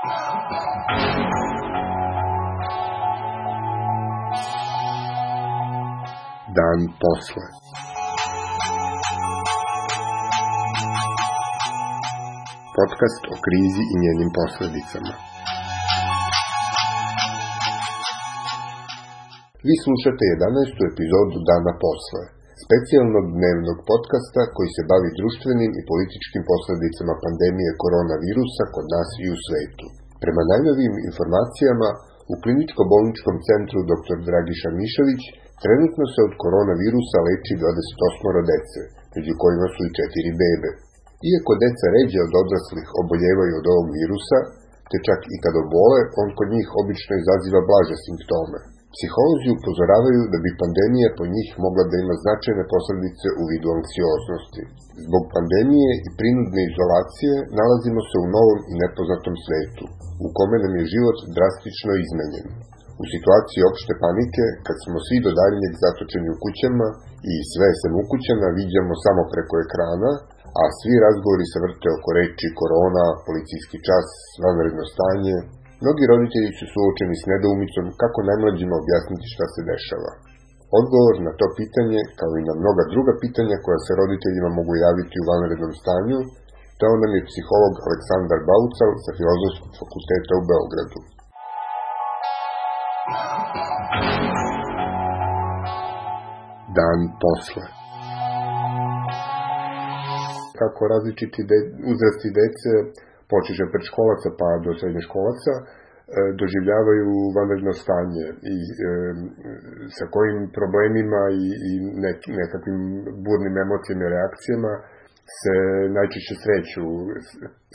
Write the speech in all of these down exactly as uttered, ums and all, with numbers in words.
Dan posle. Podcast o krizi i njenim posledicama. Vi slušate jedanaestu epizodu Dana posle, specijalnog dnevnog podcasta koji se bavi društvenim i političkim posledicama pandemije koronavirusa kod nas i u svetu. Prema najnovijim informacijama, u kliničko-bolničkom centru doktor Dragiša Mišović trenutno se od koronavirusa leči dvadeset osam dece, među kojima su i četiri bebe. Iako deca ređe od odraslih oboljevaju od ovog virusa, te čak i kad obole, on kod njih obično izaziva blaže simptome. Psiholozi upozoravaju da bi pandemija po njih mogla da ima značajne posledice u vidu anksioznosti. Zbog pandemije i prinudne izolacije nalazimo se u novom i nepoznatom svetu, u kome nam je život drastično izmenjen. U situaciji opšte panike, kad smo svi do daljnjeg zatočeni u kućama i sve sem ukućana viđamo samo preko ekrana, a svi razgovori se vrte oko reči korona, policijski čas, vanredno stanje, mnogi roditelji su suočeni s nedoumicom kako najmlađima objasniti šta se dešava. Odgovor na to pitanje, kao i na mnoga druga pitanja koja se roditeljima mogu javiti u vanrednom stanju, dao nam je psiholog Aleksandar Baucal sa Filozofskog fakulteta u Beogradu. Dan posle. Kako različiti de, uzrasti dece, počeše od predškolaca pa do srednjoškolaca, e, doživljavaju vanredno stanje i e, sa kojim problemima i, i nek, nekakvim burnim emocijama i reakcijama se najčešće sreću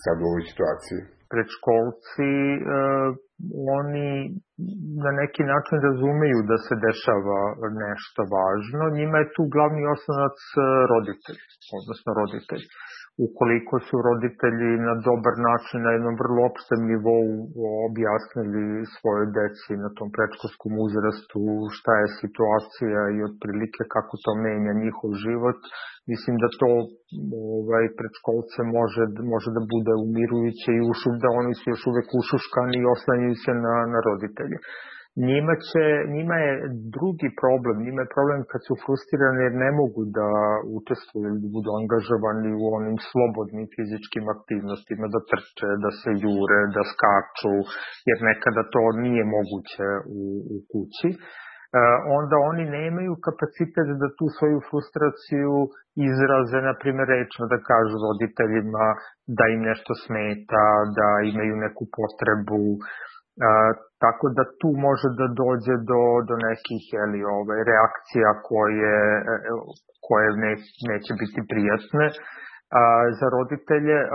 sad u ovoj situaciji. Predškolci, e, oni na neki način razumeju da se dešava nešto važno. Njima je tu glavni osnovac roditelj, odnosno roditelj. Ukoliko su roditelji na dobar način, na jednom vrlo opštem nivou objasnili svoje deci na tom predškolskom uzrastu šta je situacija i otprilike kako to menja njihov život, mislim da to ovaj, predškolce može, može da bude umirujuće i ušu, da oni su još uvek ušuškani i oslanjaju se na, na roditelje. Njima, će, njima je drugi problem, njima je problem kad su frustrirani jer ne mogu da učestvuju ili da budu angažovani u onim slobodnim fizičkim aktivnostima, da trče, da se jure, da skaču, jer nekada to nije moguće u, u kući. E, onda oni nemaju kapacitet da tu svoju frustraciju izraze, na primjer, rečno da kažu roditeljima da im nešto smeta, da imaju neku potrebu. Uh, tako da tu može da dođe do, do nekih jeli, ove, reakcija koje, koje ne, neće biti prijatne. Uh, za roditelje uh,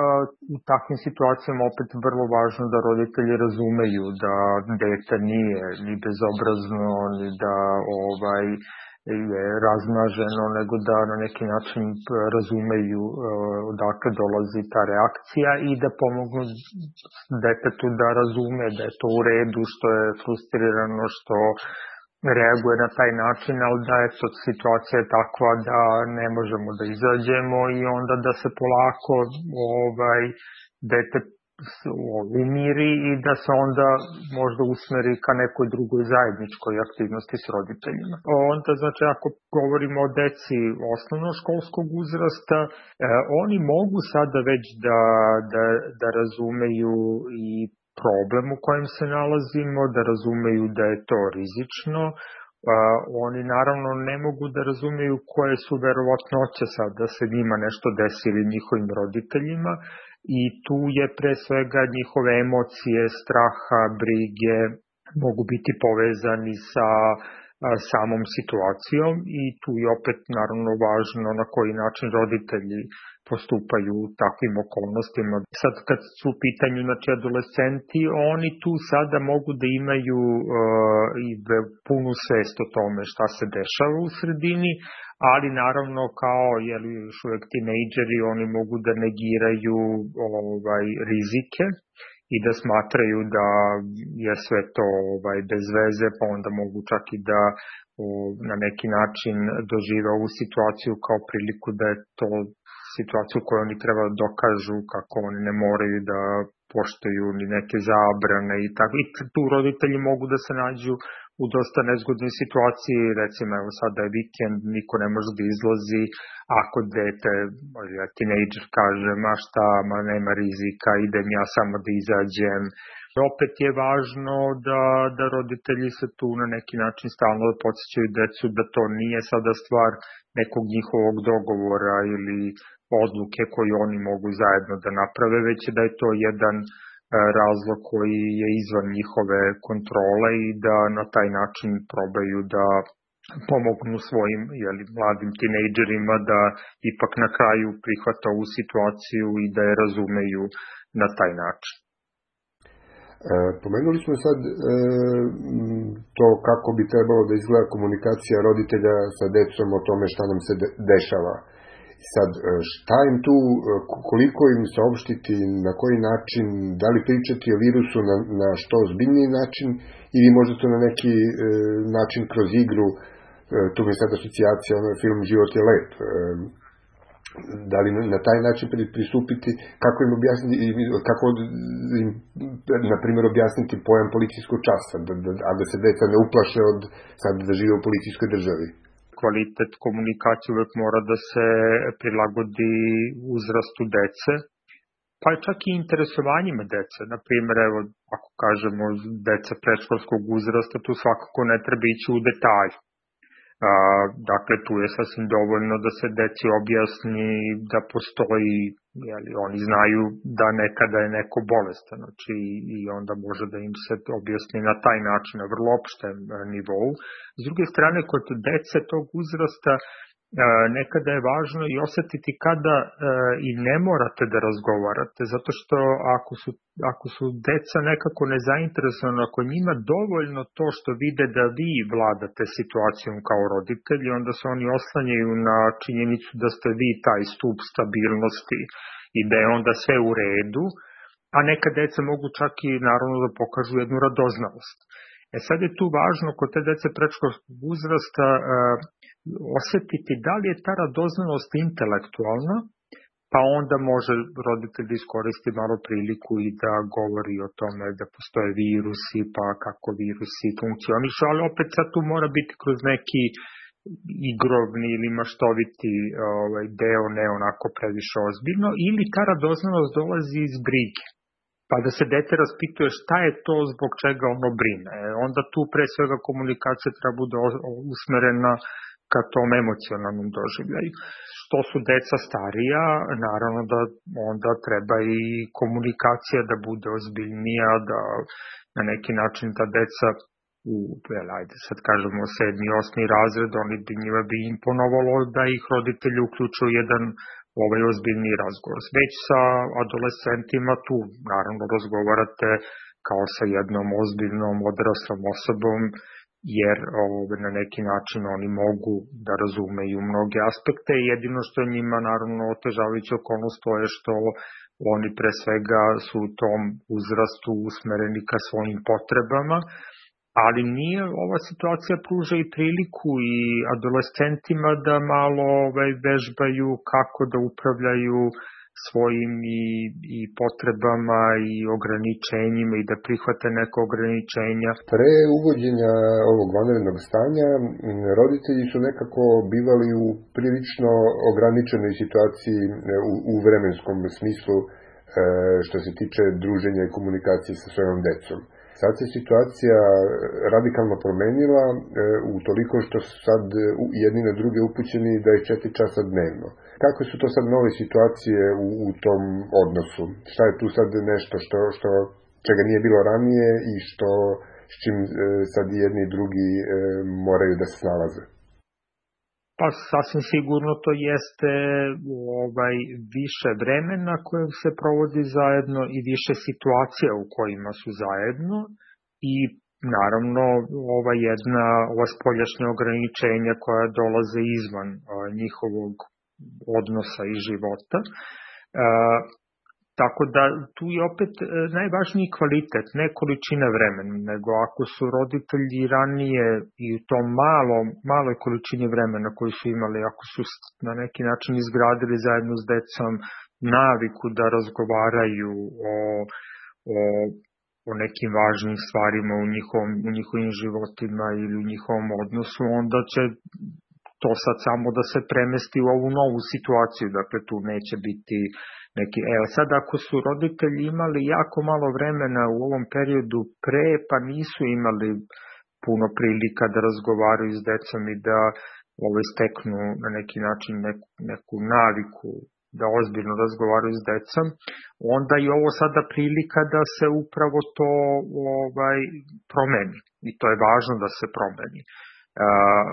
u takvim situacijama opet vrlo važno da roditelji razumeju da dete nije ni bezobrazno, ni da ovaj, je razmaženo, nego da na neki način razumeju uh, odakle dolazi ta reakcija i da pomognu detetu da razume da je to u redu, što je frustrirano, što reaguje na taj način, ali da je to situacija takva da ne možemo da izađemo i onda da se polako ovaj, dete umiri i da se onda možda usmeri ka nekoj drugoj zajedničkoj aktivnosti s roditeljima. Onda, znači, ako govorimo o deci osnovnoškolskog uzrasta, eh, oni mogu sada već da, da, da razumeju i problem u kojem se nalazimo, da razumeju da je to rizično. Uh, oni naravno ne mogu da razumeju koje su verovatnoće sad da se njima nešto desi ili njihovim roditeljima i tu je pre svega njihove emocije, straha, brige mogu biti povezani sa a, samom situacijom i tu je opet naravno važno na koji način roditelji postupaju u takvim okolnostima. Sad kad su u pitanju znači, adolescenti, oni tu sada mogu da imaju uh, i punu svest o tome šta se dešava u sredini, ali naravno kao jeli, još uvek tinejdžeri, oni mogu da negiraju ovaj, rizike i da smatraju da je sve to ovaj, bez veze, pa onda mogu čak i da o, na neki način dožive ovu situaciju kao priliku da je to situaciju koju oni treba da dokažu kako oni ne moraju da poštuju ni neke zabrane i tako. I tu roditelji mogu da se nađu u dosta nezgodnoj situaciji, recimo evo sada je vikend, niko ne može da izlazi, ako dete, ja tinejdžer kaže, ma šta, ma nema rizika, idem ja samo da izađem. Opet je važno da, da roditelji se tu na neki način stalno podsjećaju decu da to nije sada stvar nekog njihovog dogovora ili odluke koju oni mogu zajedno da naprave, već da je to jedan razlog koji je izvan njihove kontrole i da na taj način probaju da pomognu svojim jeli, mladim tinejdžerima da ipak na kraju prihvata ovu situaciju i da je razumeju na taj način. E, pomenuli smo sad e, to kako bi trebalo da izgleda komunikacija roditelja sa decom o tome šta nam se de, dešava. Sad, šta im tu, koliko im saopštiti, na koji način, da li pričati o virusu na, na što ozbiljniji način ili možda to na neki e, način kroz igru, e, tu mi je sad asocijacija, ono film Život je lep, e, da li na, na taj način pristupiti, kako im objasniti, kako im, na primjer, objasniti pojam policijskog časa, da, da, a da se deca ne uplaše od sad da žive u policijskoj državi. Kvalitet komunikacije uvek mora da se prilagodi uzrastu dece, pa čak i interesovanjima dece. Naprimjer, evo, ako kažemo deca predškolskog uzrasta, tu svakako ne treba ići u detalj. A, dakle, tu je sasvim dovoljno da se deci objasni da postoji, jeli, oni znaju da nekada je neko bolestan, znači i onda može da im se objasni na taj način, na vrlo opštem nivou. S druge strane, kod dece tog uzrasta nekada je važno i osetiti kada i ne morate da razgovarate, zato što ako su, ako su deca nekako nezainteresovana, ako njima dovoljno to što vide da vi vladate situacijom kao roditelji, onda se oni oslanjaju na činjenicu da ste vi taj stup stabilnosti i da je onda sve u redu, a neka deca mogu čak i naravno da pokažu jednu radoznalost. E sad je tu važno kod te dece predškolskog uzrasta uh, osetiti da li je ta radoznalost intelektualna, pa onda može roditelj iskoristiti malo priliku i da govori o tome da postoje virusi, pa kako virusi funkcionišu, ali opet sad tu mora biti kroz neki igrovni ili maštoviti ovaj, deo, ne onako previše ozbiljno, ili ta radoznalost dolazi iz brige. Pa da se dete raspituje šta je to zbog čega ono brine. Onda tu pre svega komunikacija treba bude usmerena ka tom emocionalnom doživljaju. Što su deca starija, naravno da onda treba i komunikacija da bude ozbiljnija, da na neki način ta deca u, jel, ajde sad kažemo sedmi, osmi razred, oni bi njima bi imponovalo da ih roditelji uključuju jedan ovaj ozbiljni razgovor. Već sa adolescentima tu naravno razgovarate kao sa jednom ozbiljnom odraslom osobom, jer ovaj, na neki način oni mogu da razumeju mnoge aspekte i jedino što njima naravno otežavajuća okolnost to je što oni pre svega su u tom uzrastu usmereni ka svojim potrebama, ali nije, ova situacija pruža i priliku i adolescentima da malo ovaj, vežbaju kako da upravljaju svojim i, i potrebama i ograničenjima i da prihvate neke ograničenja. Pre uvođenja ovog vanrednog stanja, roditelji su nekako bivali u prilično ograničenoj situaciji u, u vremenskom smislu što se tiče druženja i komunikacije sa svojom decom. Sad se situacija radikalno promenila u toliko što su sad jedni na druge upućeni da je četiri časa dnevno. Kakve su to sad nove situacije u, u tom odnosu? Šta je tu sad nešto što, što čega nije bilo ranije i što s čim sad jedni i drugi moraju da se snalaze? Pa sasvim sigurno to jeste ovaj, više vremena koje se provodi zajedno i više situacija u kojima su zajedno i naravno ova jedna ova spoljašnja ograničenja koja dolaze izvan a, njihovog odnosa i života. A, Tako da tu je opet najvažniji kvalitet, ne količina vremena, nego ako su roditelji ranije i u tom malom, maloj količini vremena koju su imali, ako su na neki način izgradili zajedno s decom naviku da razgovaraju o o, o nekim važnim stvarima u, njihovom, u njihovim životima ili u njihovom odnosu, onda će to sad samo da se premesti u ovu novu situaciju, dakle tu neće biti neki... Evo sad ako su roditelji imali jako malo vremena u ovom periodu pre, pa nisu imali puno prilika da razgovaraju s decom i da ovaj, steknu na neki način neku, neku naviku da ozbiljno razgovaraju s decom, onda je ovo sada prilika da se upravo to ovaj, promeni. I to je važno da se promeni. Uh,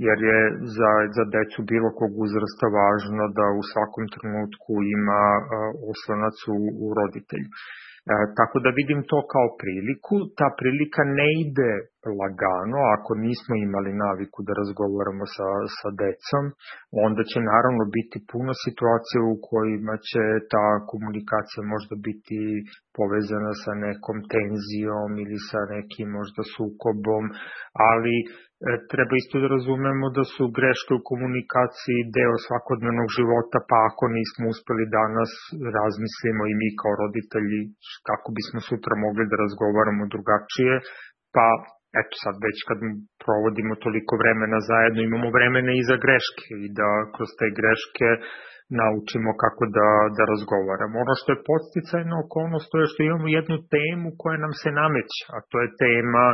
jer je za, za decu bilo kog uzrasta važno da u svakom trenutku ima uh, oslonac u, u roditelju. E, tako da vidim to kao priliku. Ta prilika ne ide lagano, ako nismo imali naviku da razgovaramo sa, sa decom, onda će naravno biti puno situacija u kojima će ta komunikacija možda biti povezana sa nekom tenzijom ili sa nekim možda sukobom, ali e, treba isto da razumemo da su greške u komunikaciji deo svakodnevnog života, pa ako nismo uspeli danas, razmislimo i mi kao roditelji kako bismo sutra mogli da razgovaramo drugačije, pa eto sad već kad provodimo toliko vremena zajedno, imamo vremena i za greške i da kroz te greške naučimo kako da, da razgovaramo. Ono što je podsticajna okolnost to je što imamo jednu temu koja nam se nameće, a to je tema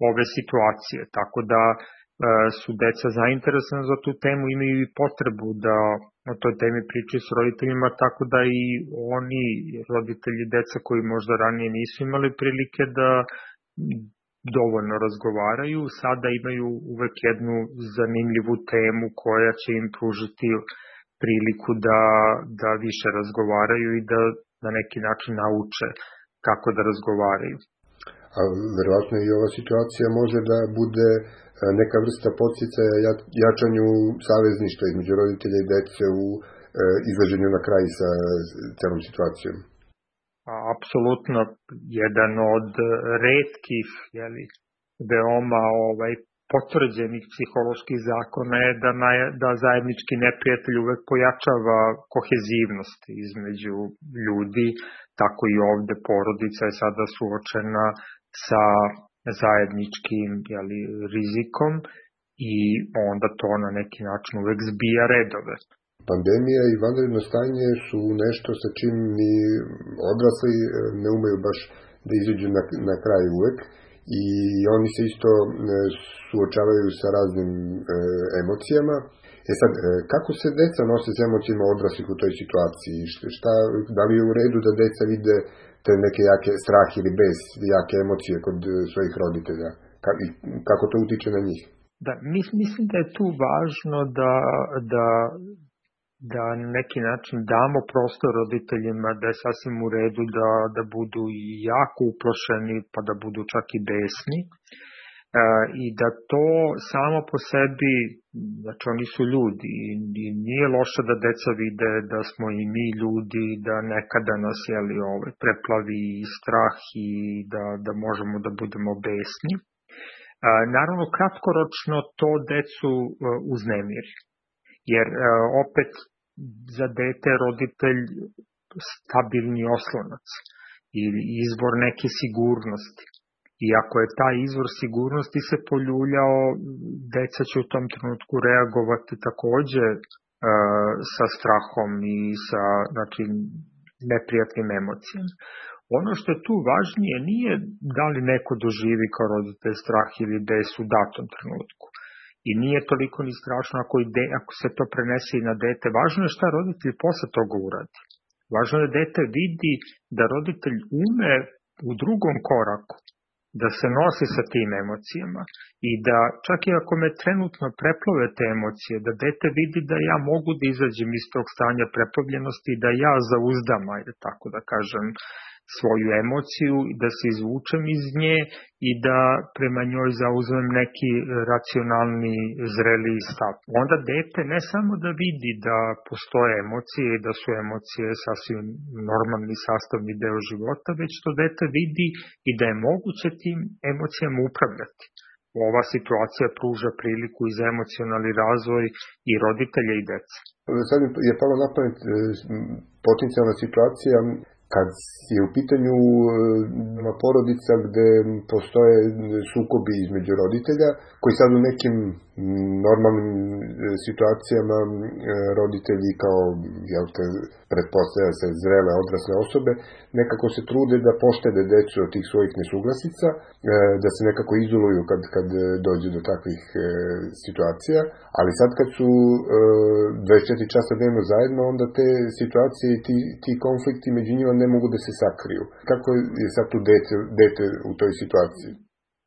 ove situacije, tako da e, su deca zainteresovana za tu temu, imaju i potrebu da o toj temi pričaju s roditeljima, tako da i oni roditelji deca koji možda ranije nisu imali prilike da dovoljno razgovaraju, sada imaju uvek jednu zanimljivu temu koja će im pružiti priliku da, da više razgovaraju i da na neki način nauče kako da razgovaraju. A verovatno i ova situacija može da bude neka vrsta podsticaja jačanju savezništva između roditelja i dece u izlaženju na kraj sa celom situacijom. Apsolutno, jedan od retkih, jeli, veoma ovaj, potvrđenih psiholoških zakona je da, na, da zajednički neprijatelj uvek pojačava kohezivnost između ljudi, tako i ovde porodica je sada suočena sa zajedničkim jeli, rizikom i onda to na neki način uvek zbija redove. Pandemija i vanredno stanje su nešto sa čim ni odrasli ne umeju baš da izađu na, na kraj uvek i oni se isto suočavaju sa raznim e, emocijama. E sad, e, kako se deca nose s emocijama odraslih u toj situaciji? Šta, da li je u redu da deca vide te neke jake strah ili bez jake emocije kod svojih roditelja? Ka, kako to utiče na njih? Da, mislim da je tu važno da, da da na neki način damo prostor roditeljima da je sasvim u redu da, da budu jako uplašeni pa da budu čak i besni e, i da to samo po sebi, znači oni su ljudi i nije loše da deca vide da smo i mi ljudi, da nekada nas jeli, ovaj, preplavi strah i da, da možemo da budemo besni. E, naravno kratkoročno to decu e, uznemiri. Jer e, opet za dete roditelj stabilni oslonac ili izvor neke sigurnosti. I ako je taj izvor sigurnosti se poljuljao, deca će u tom trenutku reagovati takođe e, sa strahom i sa znači, neprijatnim emocijama. Ono što je tu važnije nije da li neko doživi kao roditelj strah ili bes u datom trenutku. I nije toliko ni strašno ako, ide, ako se to prenese i na dete. Važno je šta roditelj posle toga uradi. Važno je da dete vidi da roditelj ume u drugom koraku da se nosi sa tim emocijama i da čak i ako me trenutno preplove te emocije, da dete vidi da ja mogu da izađem iz tog stanja preplavljenosti i da ja zauzdam, ajde tako da kažem, svoju emociju, da se izvučem iz nje i da prema njoj zauzmem neki racionalni, zreli stav. Onda dete ne samo da vidi da postoje emocije i da su emocije sasvim normalni sastavni deo života, već to dete vidi i da je moguće tim emocijama upravljati. Ova situacija pruža priliku i za emocionalni razvoj i roditelja i deca. Sad je palo na pamet potencijalna situacija Kad je u pitanju porodica gde postoje sukobi između roditelja, koji sad u nekim normalnim situacijama roditelji kao, jel te, pretpostavlja se zrele odrasle osobe, nekako se trude da poštede decu od tih svojih nesuglasica, da se nekako izoluju kad, kad dođe do takvih situacija, ali sad kad su dvadeset četiri časa dnevno zajedno, onda te situacije i ti, ti konflikti među njima ne mogu da se sakriju. Kako je sad tu dete, dete u toj situaciji?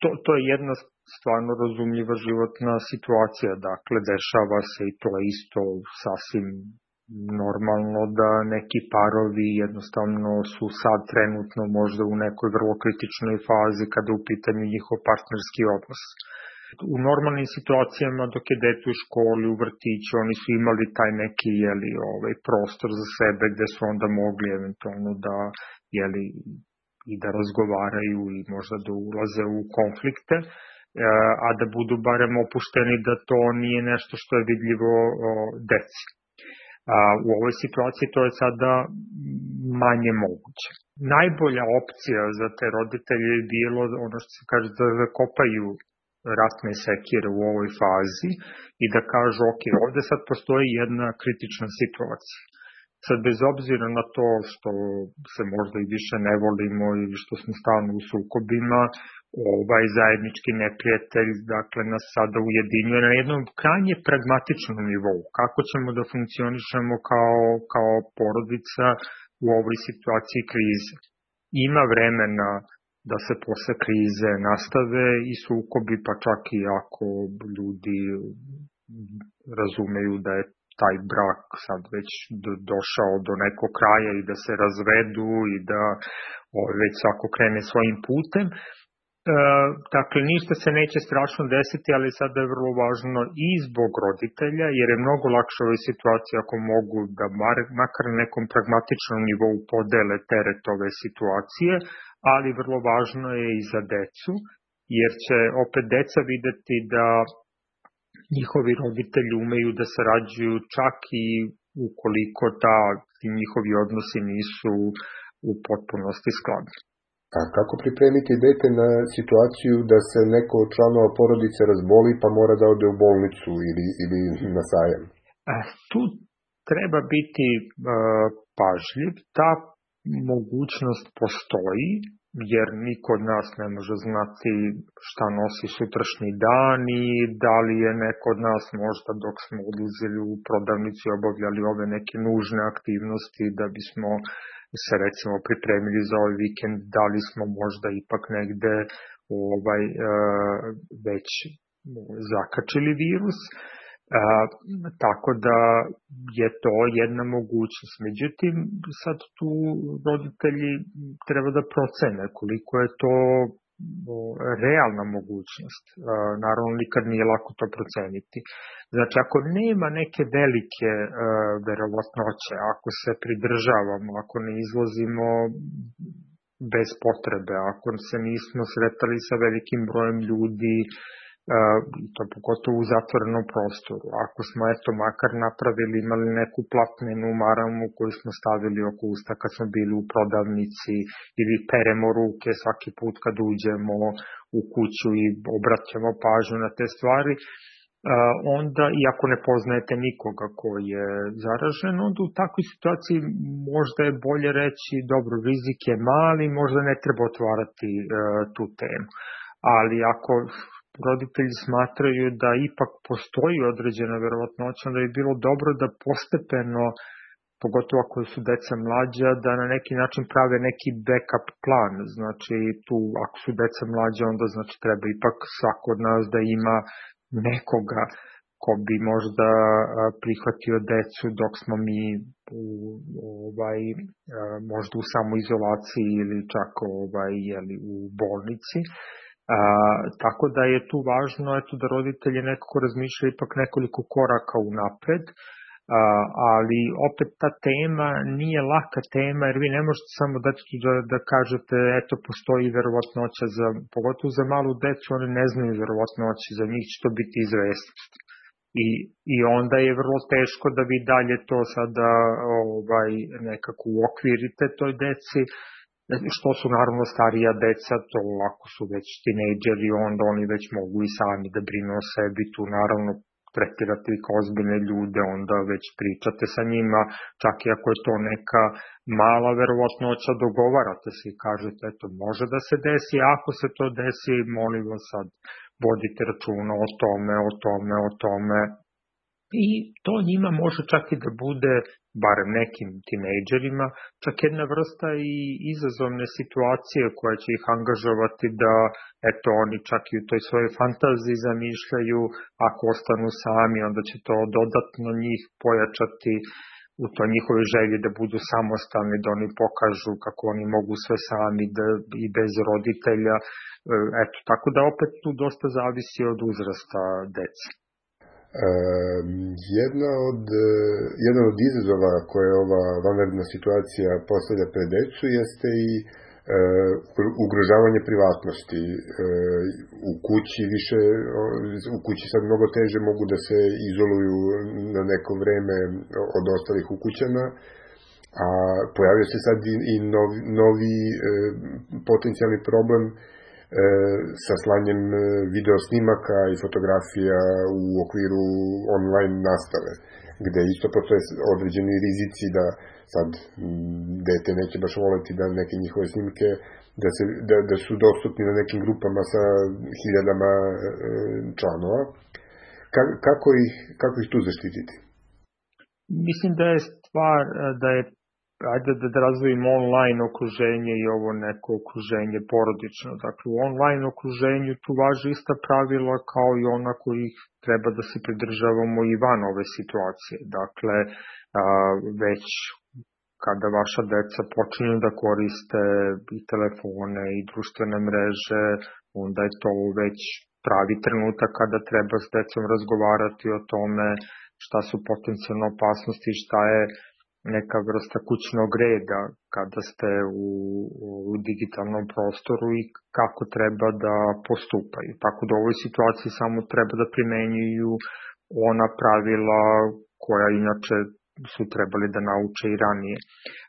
To, to je jedna stvarno razumljiva životna situacija, dakle dešava se i to je isto sasvim normalno da neki parovi jednostavno su sad trenutno možda u nekoj vrlo kritičnoj fazi kada je u pitanju njihov partnerski odnos. U normalnim situacijama dok je dete u školi, u vrtiću, oni su imali taj neki jeli, ovaj, prostor za sebe gde su onda mogli eventualno da jeli, i da razgovaraju i možda da ulaze u konflikte, a da budu barem opušteni da to nije nešto što je vidljivo deci. A u ovoj situaciji to je sada manje moguće. Najbolja opcija za te roditelje je bilo ono što se kaže da zakopaju ratne sekire u ovoj fazi i da kažu ok, ovde sad postoji jedna kritična situacija. Sad bez obzira na to što se možda i više ne volimo ili što smo stalno u sukobima, ovaj zajednički neprijatelj, dakle, nas sada ujedinjuje na jednom krajnje pragmatičnom nivou. Kako ćemo da funkcionišemo kao, kao porodica u ovoj situaciji krize? Ima vremena da se posle krize nastave i sukobi, pa čak i ako ljudi razumeju da je taj brak sad već došao do nekog kraja i da se razvedu i da već svako krene svojim putem. E, dakle, ništa se neće strašno desiti, ali sada je vrlo važno i zbog roditelja, jer je mnogo lakše u ovoj situaciji ako mogu da bar, makar na nekom pragmatičnom nivou podele teret ove situacije, ali vrlo važno je i za decu, jer će opet deca videti da njihovi roditelji umeju da sarađuju čak i ukoliko ta, ti njihovi odnosi nisu u potpunosti skladni. A kako pripremiti dete na situaciju da se neko od članova porodice razboli pa mora da ode u bolnicu ili, ili na sajam? A, tu treba biti uh, pažljiv. Ta mogućnost postoji, jer niko od nas ne može znati šta nosi sutrašnji dan i da li je neko od nas možda dok smo odlazili u prodavnicu i obavljali ove neke nužne aktivnosti da bismo se recimo pripremili za ovaj vikend, da li smo možda ipak negde ovaj, e, već zakačili virus. E, tako da je to jedna mogućnost. Međutim, sad tu roditelji treba da procene koliko je to realna mogućnost. E, naravno, nikad nije lako to proceniti. Znači, ako nema neke velike e, verovatnoće, ako se pridržavamo, ako ne izlazimo bez potrebe, ako se nismo sretali sa velikim brojem ljudi, i to pogotovo u zatvorenom prostoru. Ako smo eto makar napravili, imali neku platnenu maramu koju smo stavili oko usta kad smo bili u prodavnici ili peremo ruke svaki put kad uđemo u kuću i obraćamo pažnju na te stvari, onda, iako ne poznajete nikoga ko je zaražen, onda u takvoj situaciji možda je bolje reći, dobro, rizik je mali, možda ne treba otvarati uh, tu temu. Ali ako roditelji smatraju da ipak postoji određena verovatnoća, onda je bilo dobro da postepeno, pogotovo ako su deca mlađa, da na neki način prave neki backup plan. Znači, tu, ako su deca mlađa, onda znači treba ipak svako od nas da ima nekoga ko bi možda prihvatio decu dok smo mi u, ovaj, možda u samoizolaciji ili čak ovaj, jeli, u bolnici. A, tako da je tu važno eto, da roditelji nekako razmišljaju ipak nekoliko koraka unapred, a, ali opet ta tema nije laka tema, jer vi ne možete samo detetu da, da kažete eto postoji verovatnoća, za, pogotovo za malu decu, oni ne znaju verovatnoće, za njih će to biti izvesnost. I, i onda je vrlo teško da vi dalje to sada ovaj, nekako uokvirite toj deci, što su naravno starija deca, to ako su već tinejdžeri, onda oni već mogu i sami da brinu o sebi, tu naravno tretirate ih kao ozbiljne ljude, onda već pričate sa njima, čak i ako je to neka mala verovatnoća, dogovarate se i kažete, eto, može da se desi, ako se to desi, molim vas sad, vodite računa o tome, o tome, o tome. I to njima može čak i da bude, barem nekim tinejdžerima, čak jedna vrsta i izazovne situacije koja će ih angažovati da, eto, oni čak i u toj svojoj fantaziji zamišljaju, ako ostanu sami, onda će to dodatno njih pojačati u toj njihovoj želji da budu samostalni, da oni pokažu kako oni mogu sve sami da, i bez roditelja. Eto, tako da opet tu dosta zavisi od uzrasta dece. Uh, jedna od, jedan od izazova koje ova vanredna situacija postavlja pred decu jeste i uh, ugrožavanje privatnosti. Uh, u kući više, u kući sad mnogo teže mogu da se izoluju na neko vreme od ostalih ukućana, a pojavio se sad i, i novi, novi uh, potencijalni problem sa slanjem video snimaka i fotografija u okviru online nastave, gde isto postoje određeni rizici da sad dete neće baš voleti da neke njihove snimke da, se, da, da su dostupni na nekim grupama sa hiljadama članova. Ka, kako, ih, kako ih tu zaštititi? Mislim da je stvar da je ajde da razvojimo online okruženje i ovo neko okruženje porodično. Dakle, u online okruženju tu važi ista pravila kao i ona kojih treba da se pridržavamo i van ove situacije. Dakle, već kada vaša deca počinju da koriste i telefone i društvene mreže, onda je to već pravi trenutak kada treba s decom razgovarati o tome šta su potencijalne opasnosti i šta je neka vrsta kućnog reda kada ste u, u digitalnom prostoru i kako treba da postupaju. Tako da u ovoj situaciji samo treba da primenjuju ona pravila koja inače su trebali da nauče i ranije.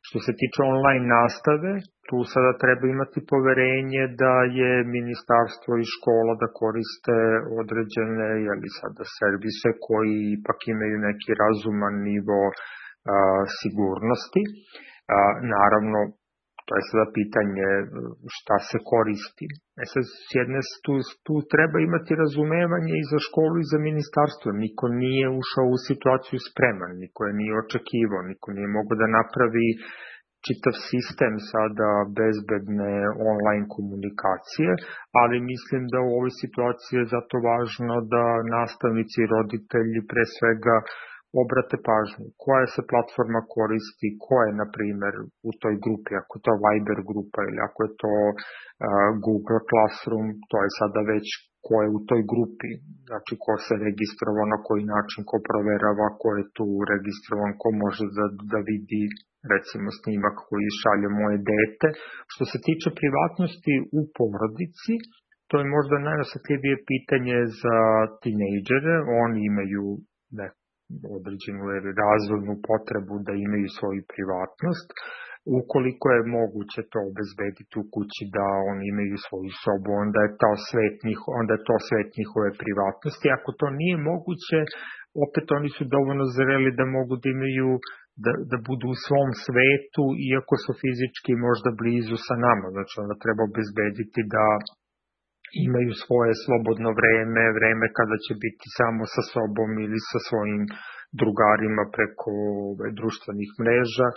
Što se tiče online nastave, tu sada treba imati poverenje da je ministarstvo i škola da koriste određene jeli sada servise koji ipak imaju neki razuman nivo A, sigurnosti. A, naravno, to je sada pitanje šta se koristi. E sad, s jedne tu, tu treba imati razumevanje i za školu i za ministarstvo. Niko nije ušao u situaciju spreman, niko je nije očekivao, niko nije mogao da napravi čitav sistem sada bezbedne online komunikacije, ali mislim da u ovoj situaciji je zato važno da nastavnici i roditelji pre svega obrate pažnju, koja se platforma koristi, ko je, na primer, u toj grupi, ako je to Viber grupa ili ako je to uh, Google Classroom, to je sada već ko je u toj grupi, znači ko se registrovao, na koji način, ko proverava, ko je tu registrovan, ko može da, da vidi, recimo, snimak koji šalje moje dete. Što se tiče privatnosti u porodici, to je možda najosetljivije pitanje za tinejdžere, oni imaju neko određenu razvojnu potrebu da imaju svoju privatnost. Ukoliko je moguće to obezbediti u kući da oni imaju svoju sobu, onda je to svet, njiho, onda je to svet njihove privatnosti. Ako to nije moguće, opet oni su dovoljno zreli da mogu da imaju da, da budu u svom svetu, iako su fizički možda blizu sa nama. Znači, onda treba obezbediti da imaju svoje slobodno vreme, vreme kada će biti samo sa sobom ili sa svojim drugarima preko društvenih mreža.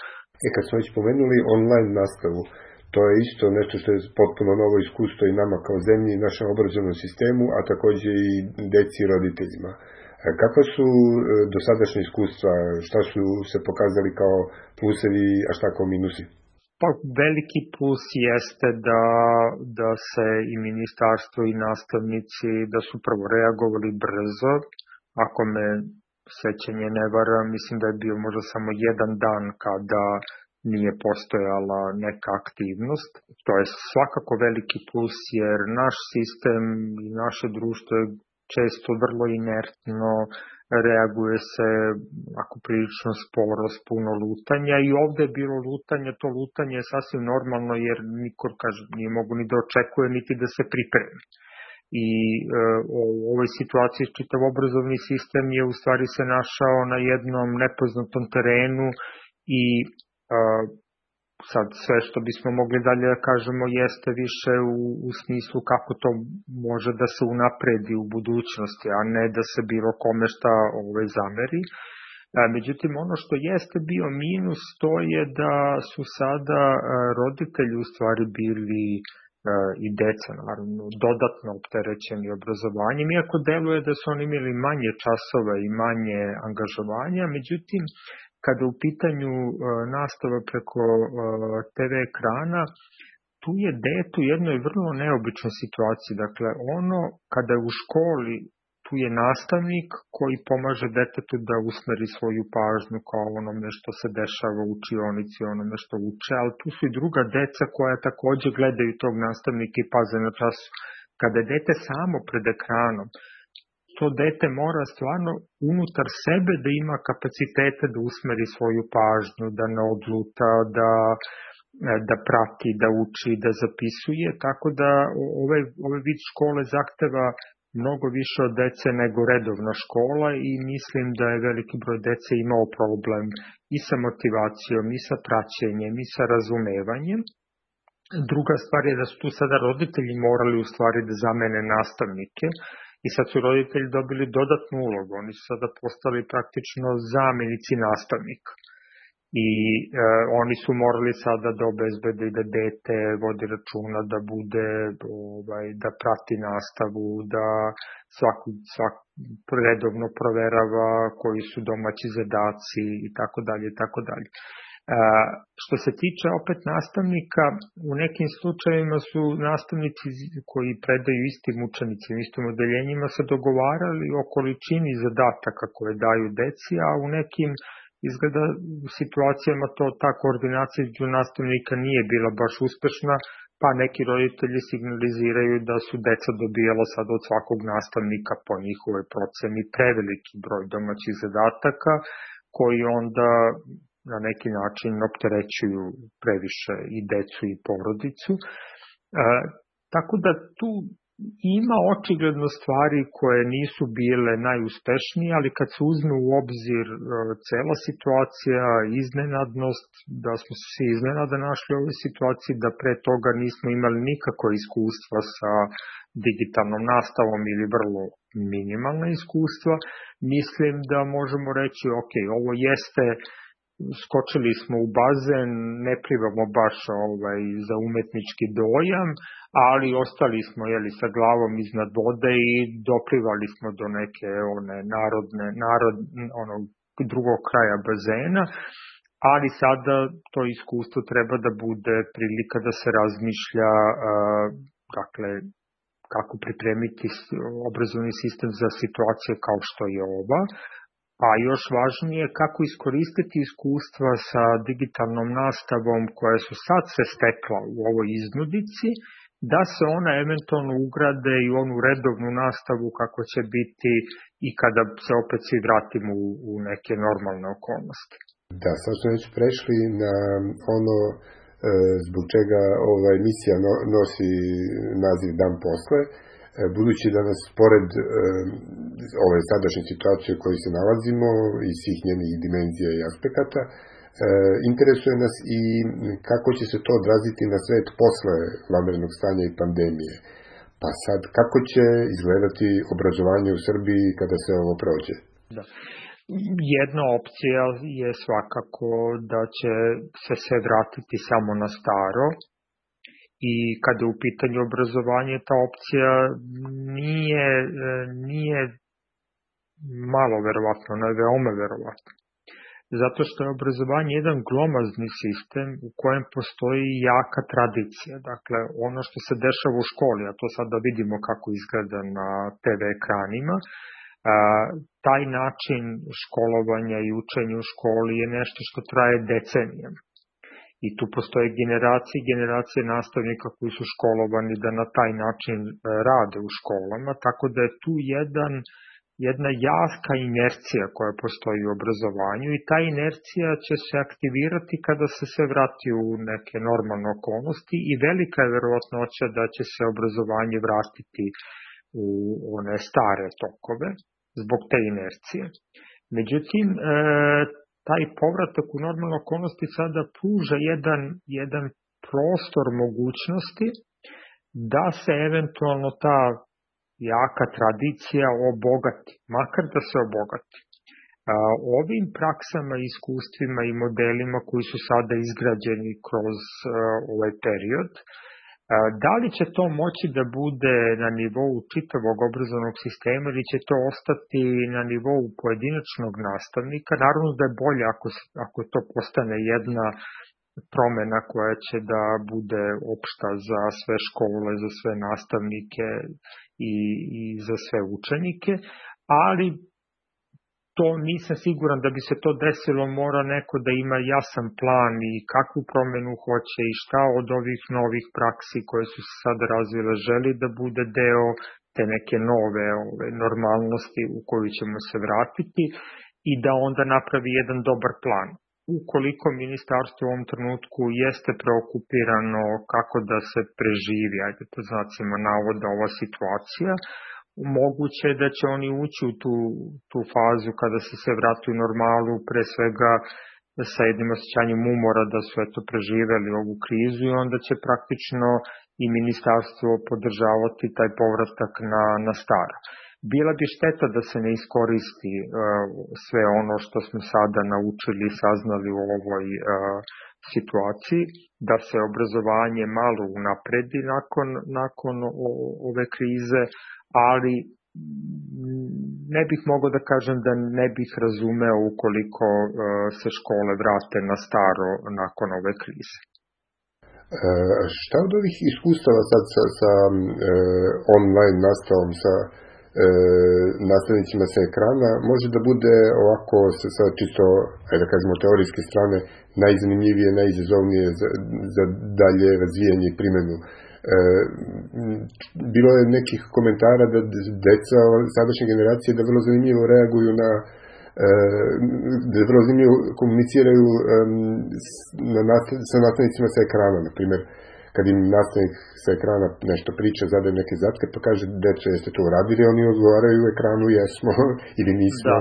E, kad smo već pomenuli online nastavu, to je isto nešto što je potpuno novo iskustvo i nama kao zemlji i našem obrazovnom sistemu, a takođe i deci i roditeljima. Kakva su dosadašnje iskustva, šta su se pokazali kao plusevi, a šta kao minusi? Pa veliki plus jeste da, da se i ministarstvo i nastavnici da su prvo reagovali brzo. Ako me sećanje ne vara, mislim da je bio možda samo jedan dan kada nije postojala neka aktivnost. To je svakako veliki plus jer naš sistem i naše društvo je često vrlo inertno, reaguje se ako prilično sporo s puno lutanja i ovde je bilo lutanje, to lutanje je sasvim normalno jer niko, kaže, nije mogu ni da očekuje niti da se pripremi. I e, u ovoj situaciji čitav obrazovni sistem je u stvari se našao na jednom nepoznatom terenu i e, sad sve što bismo mogli dalje da kažemo jeste više u, u smislu kako to može da se unapredi u budućnosti, a ne da se bilo kome šta ove zameri. E, međutim, ono što jeste bio minus to je da su sada e, roditelji u stvari bili i deca, naravno, dodatno opterećeni obrazovanjem, iako deluje da su oni imali manje časova i manje angažovanja, međutim, kada u pitanju uh, nastava preko uh, te ve ekrana, tu je dete u jednoj vrlo neobičnoj situaciji. Dakle, ono, kada je u školi, tu je nastavnik koji pomaže detetu da usmeri svoju pažnju kao onome što se dešava u učionici, onome što uče, ali tu su i druga deca koja takođe gledaju tog nastavnika i paze na času. Kada je dete samo pred ekranom, to dete mora stvarno unutar sebe da ima kapacitete da usmeri svoju pažnju, da ne odluta, da, da prati, da uči, da zapisuje, tako da ovaj, ovaj vid škole zahteva mnogo više od dece nego redovna škola i mislim da je veliki broj dece imao problem i sa motivacijom, i sa praćenjem, i sa razumevanjem. Druga stvar je da su tu sada roditelji morali u stvari da zamene nastavnike i sad su roditelji dobili dodatnu ulogu. Oni su sada postali praktično zamenici nastavnika. I e, oni su morali sada da obezbede da dete vodi računa, da bude, ovaj, da prati nastavu, da svaku, svaku redovno proverava koji su domaći zadaci i tako dalje i tako dalje. Što se tiče opet nastavnika, u nekim slučajevima su nastavnici koji predaju istim učenicima, istim odeljenjima se dogovarali o količini zadataka koje daju deci, a u nekim izgleda u situacijama to ta koordinacija između nastavnika nije bila baš uspešna, pa neki roditelji signaliziraju da su deca dobijala sad od svakog nastavnika po njihovoj proceni preveliki broj domaćih zadataka, koji onda na neki način opterećuju previše i decu i porodicu. E, tako da tu ima očigledno stvari koje nisu bile najuspešnije, ali kad se uzme u obzir e, cela situacija, iznenadnost, da smo se iznenada našli u ovoj situaciji, da pre toga nismo imali nikako iskustva sa digitalnom nastavom ili vrlo minimalna iskustva, mislim da možemo reći, ok, ovo jeste, skočili smo u bazen, ne plivamo baš ovaj, za umetnički dojam, ali ostali smo jeli, sa glavom iznad vode i doplivali smo do neke one narodne, narod, onog drugog kraja bazena, ali sada to iskustvo treba da bude prilika da se razmišlja uh, dakle, kako pripremiti obrazovni sistem za situacije kao što je ova, a još važnije kako iskoristiti iskustva sa digitalnom nastavom koja su sad se stekla u ovoj iznudici, da se ona eventualno ugrade i onu redovnu nastavu kako će biti i kada se opet svi vratimo u, u neke normalne okolnosti. Da, sad smo već prešli na ono e, zbog čega ova emisija no, nosi naziv Dan posle, e, budući da nas pored e, ove sadašnje situacije u kojoj se nalazimo i svih njenih dimenzija i aspekata, e, interesuje nas i kako će se to odraziti na svet posle vanrednog stanja i pandemije. Pa sad, kako će izgledati obrazovanje u Srbiji kada se ovo prođe? Da. Jedna opcija je svakako da će se sve vratiti samo na staro i kada je u pitanju obrazovanje, ta opcija nije, nije malo verovatno, ona je veoma verovatna. Zato što je obrazovanje jedan glomazni sistem u kojem postoji jaka tradicija. Dakle, ono što se dešava u školi, a to sad da vidimo kako izgleda na te ve ekranima, A, taj način školovanja i učenja u školi je nešto što traje decenijama. I tu postoje generacije i generacije nastavnika koji su školovani da na taj način rade u školama, tako da je tu jedan jedna jaka inercija koja postoji u obrazovanju i ta inercija će se aktivirati kada se sve vrati u neke normalne okolnosti i velika je verovatnoća da će se obrazovanje vratiti u one stare tokove zbog te inercije. Međutim, taj povratak u normalne okolnosti sada pruža jedan, jedan prostor mogućnosti da se eventualno ta jaka tradicija obogati, makar da se obogati. Ovim praksama, iskustvima i modelima koji su sada izgrađeni kroz ovaj period, da li će to moći da bude na nivou čitavog obrazovnog sistema ili će to ostati na nivou pojedinačnog nastavnika? Naravno da je bolje ako, ako to postane jedna promena koja će da bude opšta za sve škole, za sve nastavnike i, i za sve učenike, ali to nisam siguran da bi se to desilo, mora neko da ima jasan plan i kakvu promenu hoće i šta od ovih novih praksi koje su se sada razvile želi da bude deo te neke nove ove, normalnosti u koju ćemo se vratiti i da onda napravi jedan dobar plan. Ukoliko ministarstvo u ovom trenutku jeste preokupirano kako da se preživi, ajde to znacima navoda, ova situacija, moguće je da će oni ući u tu, tu fazu kada se sve vrati u normalu, pre svega sa jednim osjećanjem umora da su eto preživeli ovu krizu i onda će praktično i ministarstvo podržavati taj povratak na, na staro. Bila bi šteta da se ne iskoristi uh, sve ono što smo sada naučili i saznali u ovoj uh, situaciji, da se obrazovanje malo unapredi nakon, nakon o, ove krize, ali ne bih mogao da kažem da ne bih razumeo ukoliko uh, se škole vrate na staro nakon ove krize. E, šta od ovih iskustava sad sa, sa e, online nastavom, sa e, nastavnicima sa ekrana, može da bude ovako sa, sa čisto, ajde da kažemo, teorijske strane, najzanimljivije, najizazovnije za, za dalje razvijanje i primjenu? E, bilo je nekih komentara da deca sadašnje generacije da vrlo zanimljivo reaguju na da vrlo zanimljivo komuniciraju na nastav, sa nastavnicima sa ekrana, na primjer, kad im nastavnik sa ekrana nešto priča, zadaje neke zatke, pa kaže, deco, jeste to uradili, oni odgovaraju u ekranu, jesmo ili nismo. Da.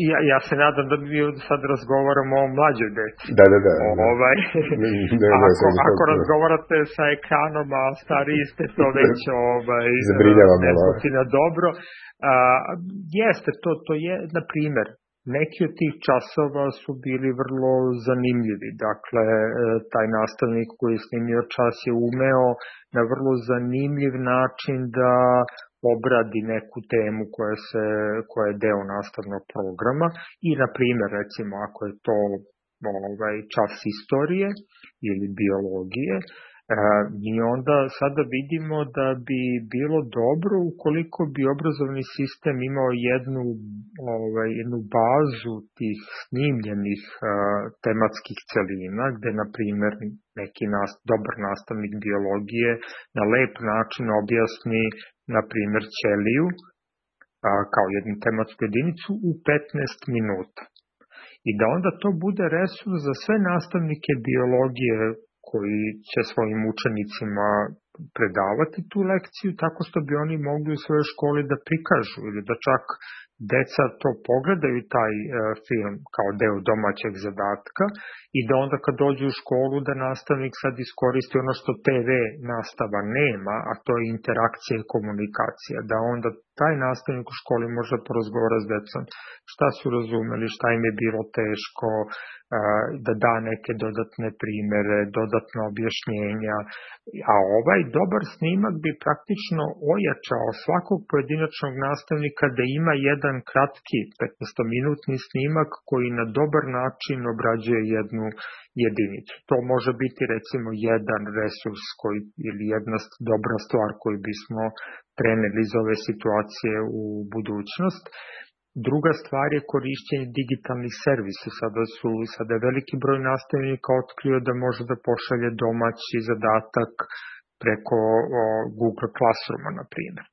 ja, ja se nadam da mi sad razgovaramo o mlađoj deci. Da, da, da. Ovaj, ne, ne, ne, ako, ako razgovarate sa ekranom, a stariji ste to već ovaj, nespotina dobro, a, jeste, to, to je, na primjer, neki od tih časova su bili vrlo zanimljivi. Dakle, taj nastavnik koji je snimio čas je umeo na vrlo zanimljiv način da obradi neku temu koja, se, koja je deo nastavnog programa i, na primjer, recimo, ako je to ovaj, čas istorije ili biologije, mi onda sada vidimo da bi bilo dobro ukoliko bi obrazovni sistem imao jednu, ovaj, jednu bazu tih snimljenih uh, tematskih celina, gde, na primjer, neki nas, dobar nastavnik biologije na lep način objasni, na primjer, ćeliju uh, kao jednu tematsku jedinicu u petnaest minuta. I da onda to bude resurs za sve nastavnike biologije koji će svojim učenicima predavati tu lekciju, tako što bi oni mogli u svojoj školi da prikažu ili da čak deca to pogledaju taj e, film kao deo domaćeg zadatka i da onda kad dođu u školu da nastavnik sad iskoristi ono što te ve nastava nema, a to je interakcija i komunikacija, da onda taj nastavnik u školi može porazgovara s decom šta su razumeli, šta im je bilo teško, da da neke dodatne primere, dodatne objašnjenja, a ovaj dobar snimak bi praktično ojačao svakog pojedinačnog nastavnika da ima jedan kratki petnaestominutni snimak koji na dobar način obrađuje jednu jedinicu. To može biti recimo jedan resurs koji, ili jedna dobra stvar koju bismo preneli iz ove situacije u budućnost. Druga stvar je korišćenje digitalnih servisa. Sada su sada je veliki broj nastavnika otkrio da može da pošalje domaći zadatak preko o, Google Classrooma, na primjer.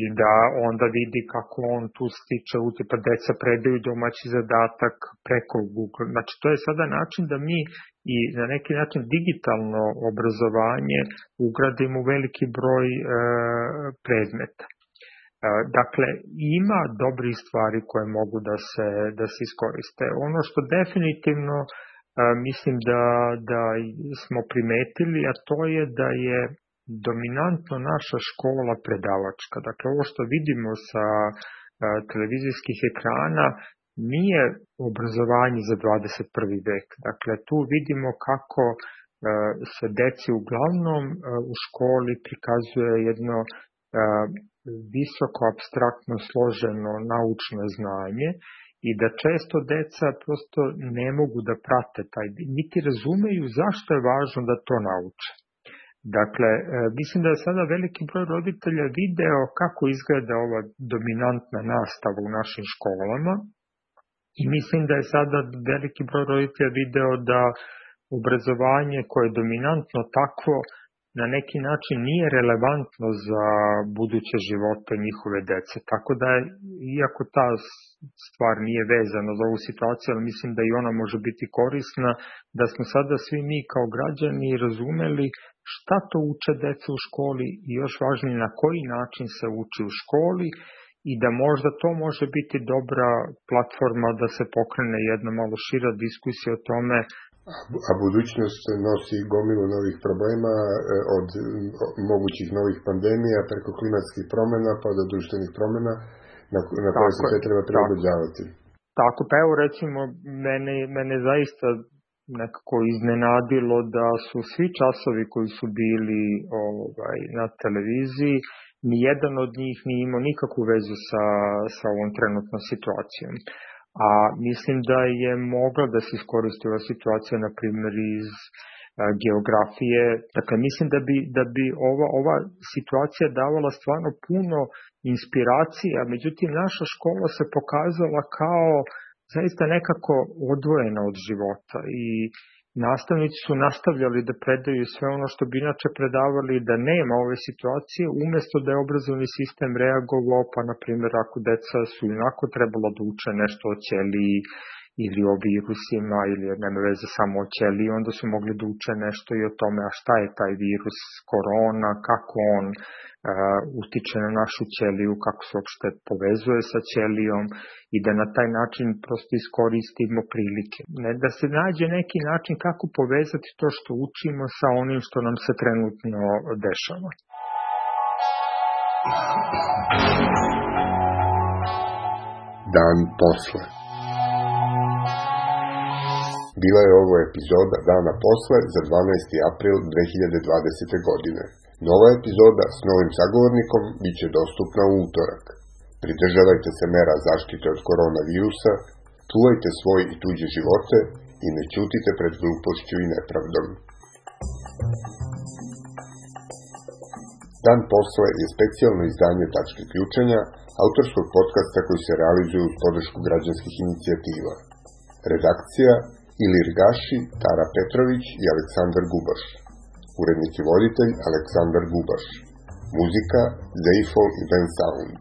i da onda vidi kako on tu stiče utipa, deca predaju domaći zadatak preko Google. Znači, to je sada način da mi i na neki način digitalno obrazovanje ugradimo u veliki broj e, predmeta. E, dakle, ima dobrih stvari koje mogu da se, da se iskoriste. Ono što definitivno e, mislim da, da smo primetili, a to je da je dominantno naša škola predavačka. Dakle, ovo što vidimo sa e, televizijskih ekrana nije obrazovanje za dvadeset prvi vek. Dakle, tu vidimo kako e, se deci uglavnom e, u školi prikazuje jedno e, visoko apstraktno složeno naučno znanje i da često deca prosto ne mogu da prate taj, niti razumeju zašto je važno da to nauče. Dakle, mislim da je sada veliki broj roditelja video kako izgleda ova dominantna nastava u našim školama i mislim da je sada veliki broj roditelja video da obrazovanje koje je dominantno takvo na neki način nije relevantno za buduće živote njihove dece. Tako da, iako ta stvar nije vezana za ovu situaciju, ali mislim da i ona može biti korisna, da smo sada svi mi kao građani razumeli šta to uče deca u školi i još važnije na koji način se uči u školi i da možda to može biti dobra platforma da se pokrene jedna malo šira diskusija o tome. A budućnost nosi gomilu novih problema, od mogućih novih pandemija preko klimatskih promjena pa do društvenih promjena na, na koje se sve treba prilagođavati. Tako, pa evo recimo, mene, mene zaista nekako iznenadilo da su svi časovi koji su bili ovaj, na televiziji, nijedan od njih nije imao nikakvu vezu sa, sa ovom trenutnom situacijom. A mislim da je mogla da se iskoristi ova situacija, na primjer, iz a, geografije. Dakle, mislim da bi, da bi ova, ova situacija davala stvarno puno inspiracija, međutim, naša škola se pokazala kao zaista nekako odvojena od života i nastavnici su nastavljali da predaju sve ono što bi inače predavali da nema ove situacije, umjesto da je obrazovni sistem reagovao, pa na primjer ako deca su inako trebalo da uče nešto o ćeliji ili o virusima ili nema veze samo o ćeliji, onda su mogli da uče nešto i o tome a šta je taj virus korona, kako on uh, utiče na našu ćeliju, kako se uopšte povezuje sa ćelijom i da na taj način prosto iskoristimo prilike. Ne, da se nađe neki način kako povezati to što učimo sa onim što nam se trenutno dešava. Dan posle. Bila je ovo epizoda Dana posle za dvanaesti april dve hiljade dvadesete. godine. Nova epizoda s novim sagovornikom bit će dostupna u utorak. Pridržavajte se mera zaštite od koronavirusa, čuvajte svoj i tuđe živote i ne ćutite pred glupošću i nepravdom. Dan posle je specijalno izdanje Tačke ključenja, autorskog podcasta koji se realizuje uz podršku građanskih inicijativa. Redakcija Ilir Gaši, Tara Petrović i Aleksandar Gubaš. Urednik i voditelj Aleksandar Gubaš. Muzika Zeifel i Ben Sound.